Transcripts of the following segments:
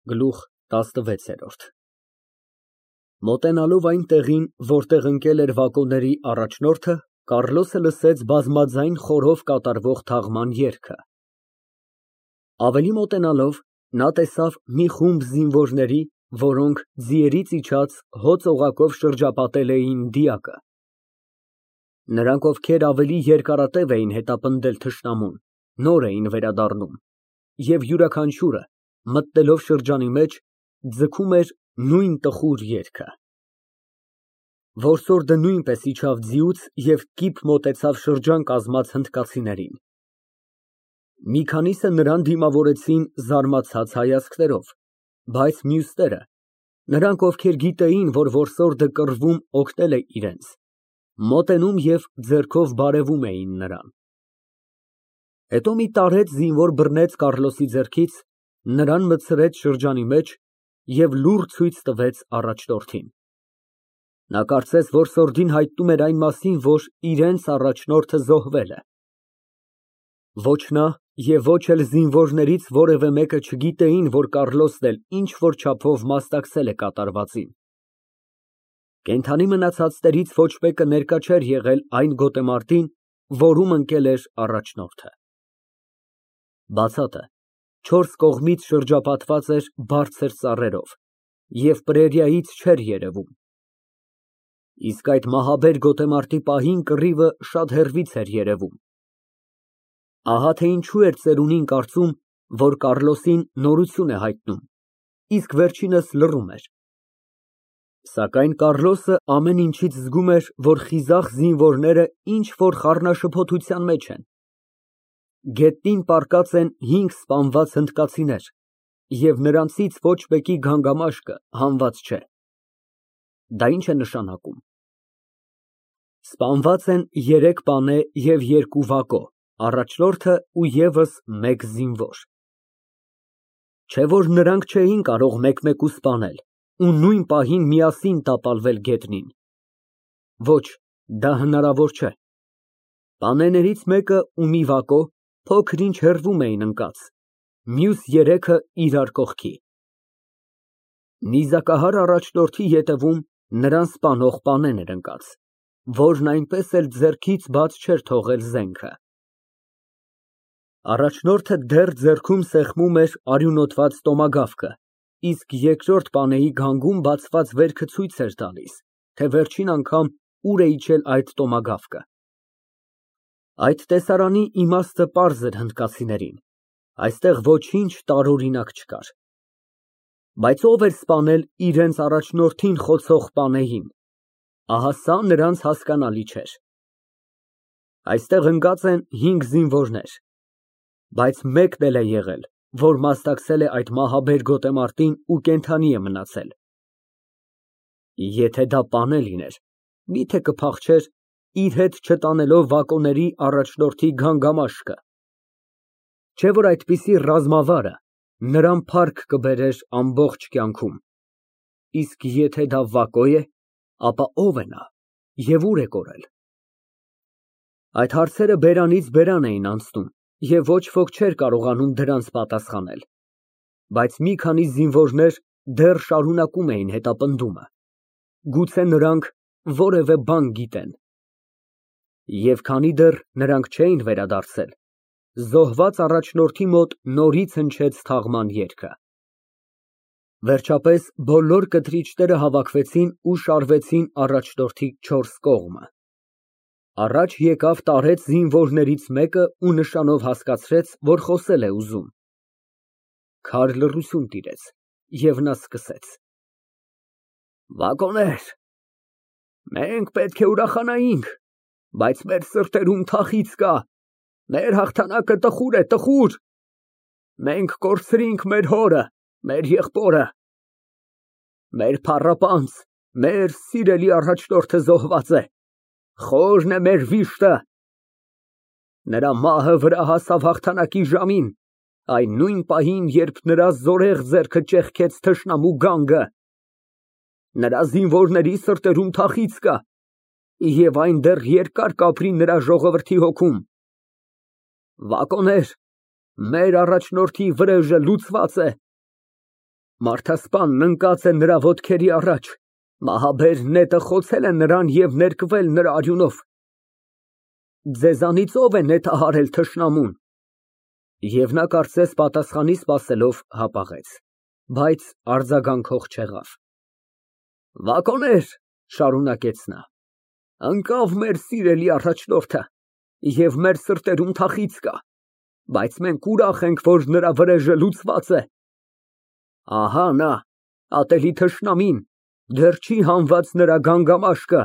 Գլուխ ՏԱՍՆՎԵՑԵՐՈՐԴ Մոտենալով այն տեղին, որտեղ ընկել էր վագոնների առաջնորդը, Կառլոսը լսեց բազմաձայն խորհով կատարվող թաղման երգը։ Ավելի մոտենալով, նա տեսավ մի խումբ զինվորների, որոնք ձիերից իջած հոծ օղակով շրջապատել էին դիակը։ Նրանք, ովքեր ավելի երկարատև էին հետապնդել թշնամուն, նոր էին վերադառնում, և յուրաքանչյուրը, մտնելով շրջանի մեջ, ձգում էր նույն տխուր երգը։ Որսորդը նույնպես իջավ ձիուց և կիպ մոտեցավ շրջան կազմած հնդկացիներին։ Մի քանիսը նրան դիմավորեցին զարմացած հայացքներով, բայց մյուսները, նրանք, ովքեր գիտեին, որ որսորդը կռվում օգնել է իրենց, մոտենում և ձեռքով բարևում էին նրան։ Հետո մի տարեց զինվոր բռնեց Կառլոսի ձեռքից, նրան մտցրեց շրջանի մեջ և լուռ ցույց տվեց առաջնորդին։ Նա կարծես որսորդին հայտնում էր այն մասին, որ իրենց առաջնորդը զոհվել է։ Ոչ նա և ոչ էլ զինվորներից որևէ մեկը չգիտեին, որ Կառլոսն էլ ինչ֊որ չափով մասնակցել է կատարվածին։ Կենդանի մնացածներից ոչ մեկը ներկա չէր եղել այն գոտեմարտին, որում ընկել էր առաջնորդը։ Բացատը չորս կողմից շրջապատված էր բարձր ծառերով և պրերիայից չէր երևում։ Իսկ այդ մահաբեր գոտեմարտի պահին կռիվը շատ հեռվից էր երևում։ Ահա թե ինչու էր ծերունին կարծում, որ Կառլոսին նորություն է հայտնում, իսկ վերջինս լռում էր։ Սակայն Կառլոսը ամեն ինչից զգում էր, որ խիզախ զինվորները ինչ֊որ խառնաշփոթության մեջ են։ Գետնին պառկած են 5 սպանված հնդկացիներ, և նրանցից ոչ մեկի գանգամաշկը հանված չէ։ Դա ի՞նչ է նշանակում։ Սպանված են 3 պանե և 2 վագո, առաջնորդը ու ևս 1 զինվոր։ Չէ՞ որ նրանք չէին կարող մեկ֊մեկու սպանել ու նույն պահին միասին տապալվել գետնին։ Ոչ, դա հնարավոր չէ։ Պանեներից մեկը ու մի վագո փոքր֊ինչ հեռվում էին ընկած, մյուս 3-ը իրար կողքի։ Նիզակահար առաջնորդի ետևում նրան սպանող պանեն էր ընկած, որն այնպես էլ ձեռքից բաց չէր թողել զենքը։ Առաջնորդը դեռ ձեռքում սեղմում էր արյունոտված տոմագավկը, իսկ երկրորդ պանեի գանգում բացված վերքը ցույց էր տալիս, թե վերջին անգամ ուր է իջել այդ տոմագավկը։ Այդ տեսարանի իմաստը պարզ էր հնդկացիներին, այստեղ ոչինչ տարօրինակ չկար։ Բայց ո՞վ էր սպանել իրենց առաջնորդին խոցող պանեին, ահա սա նրանց հասկանալի չէր։ Այստեղ ընկած են 5 զինվորներ, բայց մեկն էլ է եղել, որ մասնակցել է այդ մահաբեր գոտեմարտին ու կենդանի է մնացել։ Եթե դա պանե լիներ, մի՞թե կփախչեր, իր հետ չտանելով վագոնների առաջնորդի գանգամաշկը։ Չէ՞ որ այդպիսի ռազմավարը նրան փառք կբերեր ամբողջ կյանքում։ Իսկ եթե դա վագո է, ապա ո՞վ է նա և ուր է կորել։ Այդ հարցերը բերանից բերան էին անցնում, և ոչ ոք չէր կարողանում դրանց պատասխանել։ Բայց մի քանի զինվորներ դեռ շարունակում էին հետապնդումը։ Գուցե նրանք որևէ բան գիտեն։ Եվ քանի դեռ նրանք չէին վերադարձել, զոհված առաջնորդի մոտ նորից հնչեց թաղման երգը։ Վերջապես բոլոր կտրիչները հավաքվեցին ու շարվեցին առաջնորդի 4 կողմը։ Առաջ եկավ տարեց զինվորներից մեկը ու նշանով հասկացրեց, որ խոսել է ուզում։ Քար լռություն տիրեց, և նա սկսեց. Վագոներ, մենք պետք է ուրախանայինք, բայց մեր սրտերում թախիծ կա, մեր հաղթանակը տխուր է, տխուր։ Մենք կորցրինք մեր հորը, մեր եղբորը։ Մեր փառապանծ, մեր սիրելի առաջնորդը զոհված է, խորն է մեր վիշտը։ Նրա մահը վրա հասավ հաղթանակի ժամին, այն նույն պահին, երբ նրա զորեղ ձեռքը ճեղքեց թշնամու գանգը։ Նրա զինվորների սրտերում թախիծ կա, և այն դեռ երկար կապրի նրա ժողովրդի հոգում։ Վագոներ, մեր առաջնորդի վրեժը լուծված է։ Մարդասպանն ընկած է նրա ոտքերի առաջ, մահաբեր նետը խոցել է նրան և ներկվել նրա արյունով։ Ձեզանից ո՞վ է նետահարել թշնամուն։ Եվ նա կարծես պատասխանի սպասելով հապաղեց, բայց արձագանքող չեղավ։ Վագոներ, շարունակեց նա, ընկավ մեր սիրելի առաջնորդը, և մեր սրտերում թախիծ կա, բայց մենք ուրախ ենք, որ նրա վրեժը լուծված է։ Ահա նա, ատելի թշնամին, դեռ չի հանված նրա գանգամաշկը։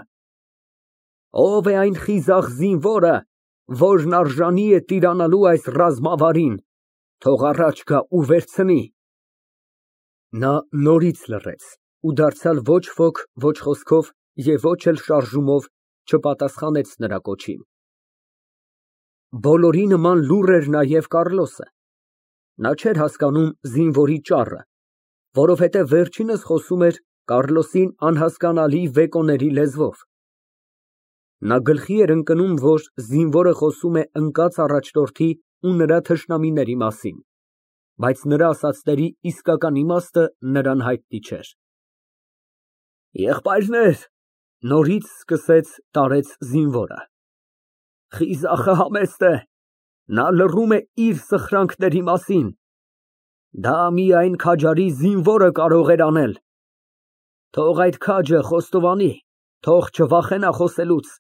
Ո՞վ է այն խիզախ զինվորը, որն արժանի է տիրանալու այս ռազմավարին, թող առաջ գա ու վերցնի։ Նա նորից լռեց ու դարձյալ ոչ ոք, ոչ խոսքով և ոչ էլ շարժումով չպատասխանեց նրա կոչին։ Բոլորի նման լուռ էր նաև Կառլոսը։ Նա չէր հասկանում զինվորի ճառը, որովհետև վերջինս խոսում էր Կառլոսին անհասկանալի բեկոների լեզվով։ Նա գլխի էր ընկնում, որ զինվորը խոսում է ընկած առաջնորդի ու նրա թշնամիների մասին, բայց նրա ասածների իսկական իմաստը նրան հայտնի չէր։ Եղբայրներ, նորից սկսեց տարեց զինվորը, խիզախը համեստ է, նա լռում է իր սխրանքների մասին, դա միայն քաջարի զինվորը կարող էր անել։ Թող այդ քաջը խոստովանի, թող չվախենա խոսելուց,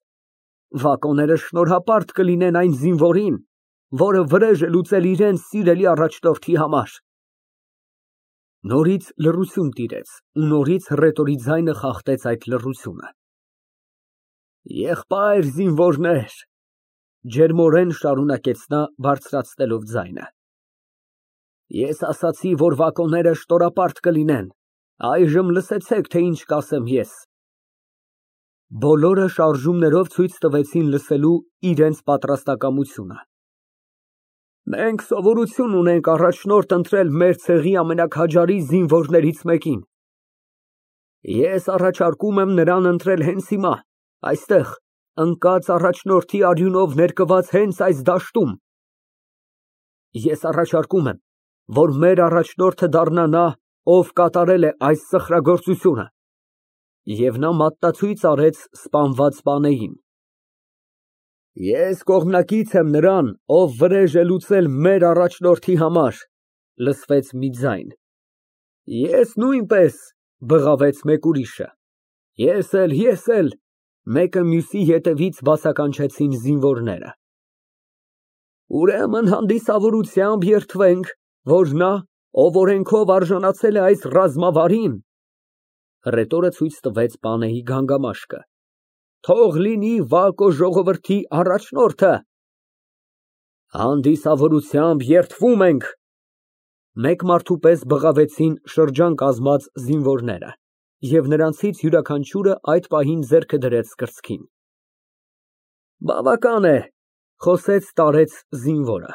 վագոները շնորհապարտ կլինեն այն զինվորին, որը վրեժ է լուծել իրենց սիրելի առաջնորդի համար։ Նորից լռություն տիրեց ու նորից հռետորի ձայնը խախտեց այդ լռությունը։ Եղբայր զինվորներ, ջերմորեն շարունակեց նա բարձրացնելով ձայնը, ես ասացի, որ վագոները շնորհապարտ կլինեն, այժմ լսեցեք, թե ինչ կասեմ ես։ Բոլորը շարժումներով ցույց տվեցին լսելու իրենց պատրաստակամությունը։ Մենք սովորություն ունենք առաջնորդ ընտրել մեր ցեղի ամենաքաջարի զինվորներից մեկին։ Ես առաջարկում եմ նրան ընտրել հենց հիմա, այստեղ, ընկած առաջնորդի արյունով ներկված հենց այս դաշտում։ Ես առաջարկում եմ, որ մեր առաջնորդը դառնա նա, ով կատարել է այս սխրագործությունը։ Եվ նա մատնացույց արեց սպանված պանեին։ Ես կողմնակից եմ նրան, ով վրեժ է լուծել մեր առաջնորդի համար, լսվեց մի ձայն։ Ես նույնպես, բղավեց մեկ ուրիշը։ Ես էլ, մեկը մյուսի ետևից բացականչեցին զինվորները։ Ուրեմն հանդիսավորությամբ երդվենք, որ նա, ով օրենքով արժանացել է այս ռազմավարին, հռետորը ցույց տվեց պանեի գանգամաշկը, թող լինի Վակո ժողովրդի առաջնորդը։ Հանդիսավորությամբ երդվում ենք, մեկ մարդու պես բղավեցին շրջան կազմած զինվորները, և նրանցից յուրաքանչյուրը այդ պահին ձեռքը դրեց կրծքին։ Բավական է, խոսեց տարեց զինվորը։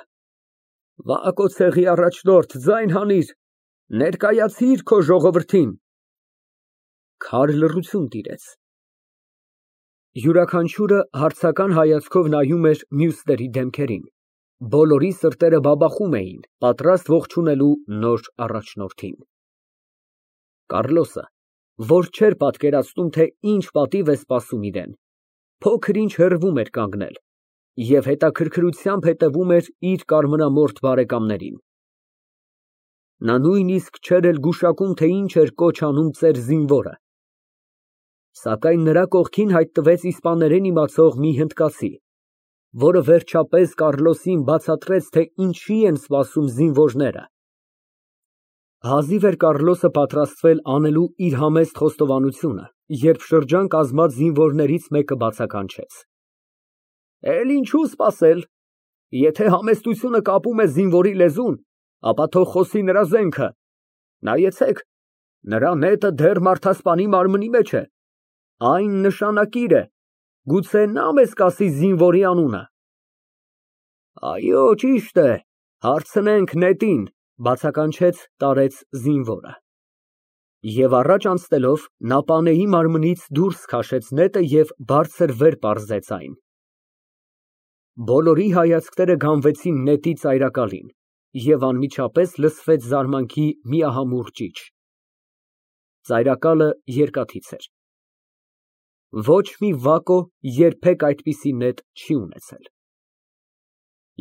Վակո ցեղի առաջնորդ, ձայն հանիր, ներկայացիր քո ժողովրդին։ Քար լռություն տիրեց։ Յուրաքանչյուրը հարցական հայացքով նայում էր մյուսների դեմքերին, բոլորի սրտերը բաբախում էին, պատրաստ ողջունելու նոր առաջնորդին։ Կառլոսը, որ չէր պատկերացնում, թե ինչ պատիվ է սպասում իրեն, փոքր-ինչ հեռվում էր կանգնել և հետաքրքրությամբ հետևում էր իր կարմրամորթ բարեկամներին։ Նա նույնիսկ չէր էլ գուշակում, թե ինչ էր կոչ անում ծեր զինվորը։ Սակայն նրա կողքին հայտնվեց իսպաներեն իմացող մի հնդկացի, որը վերջապես Կառլոսին բացատրեց, թե ինչի են սպասում զինվորները։ Հազիվ էր Կառլոսը պատրաստվել անելու իր համեստ խոստովանությունը, երբ շրջան կազմած զինվորներից մեկը բացականչեց. Էլ ինչու սպասել, եթե համեստությունը կապում է զինվորի լեզուն, ապա թող խոսի նրա զենքը, նայեցեք, նրա նետը դեռ մարդասպանի մարմնի մեջ է, այն նշանակիր է, գուցե նա մեզ կասի զինվորի անունը։ Այո, ճիշտ է, հարցնենք նետին, բացականչեց տարեց զինվորը։ Եվ առաջ անցնելով, նա պանեի մարմնից դուրս քաշեց նետը և բարձր վեր պարզեց այն։ Բոլորի հայացքները գանվեցին նետի ծայրակալին, և անմիջապես լսվեց զարմանքի միահամուռ ճիչ։ Ծայրակալը երկաթից էր։ Ոչ մի վակո երբեք այդպիսի նետ չի ունեցել։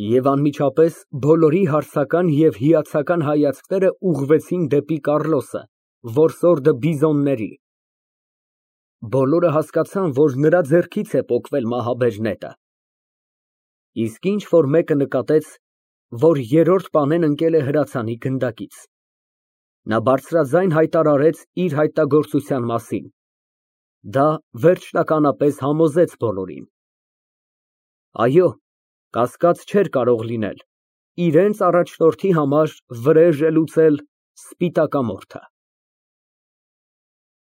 Եվ անմիջապես բոլորի հարցական և հիացական հայացքները ուղղվեցին դեպի Կառլոսը, որսորդը Բիզոնների։ Բոլորը հասկացան, որ նրա ձեռքից է պոկվել մահաբեր նետը։ Իսկ ինչ֊որ մեկը նկատեց, որ երրորդ պանեն ընկել է հրացանի գնդակից։ Նա բարձրաձայն հայտարարեց իր հայտնագործության մասին։ Դա վերջնականապես համոզեց բոլորին։ Այո, կասկած չէր կարող լինել, իրենց առաջնորդի համար վրեժ է լուծել սպիտակամորթը։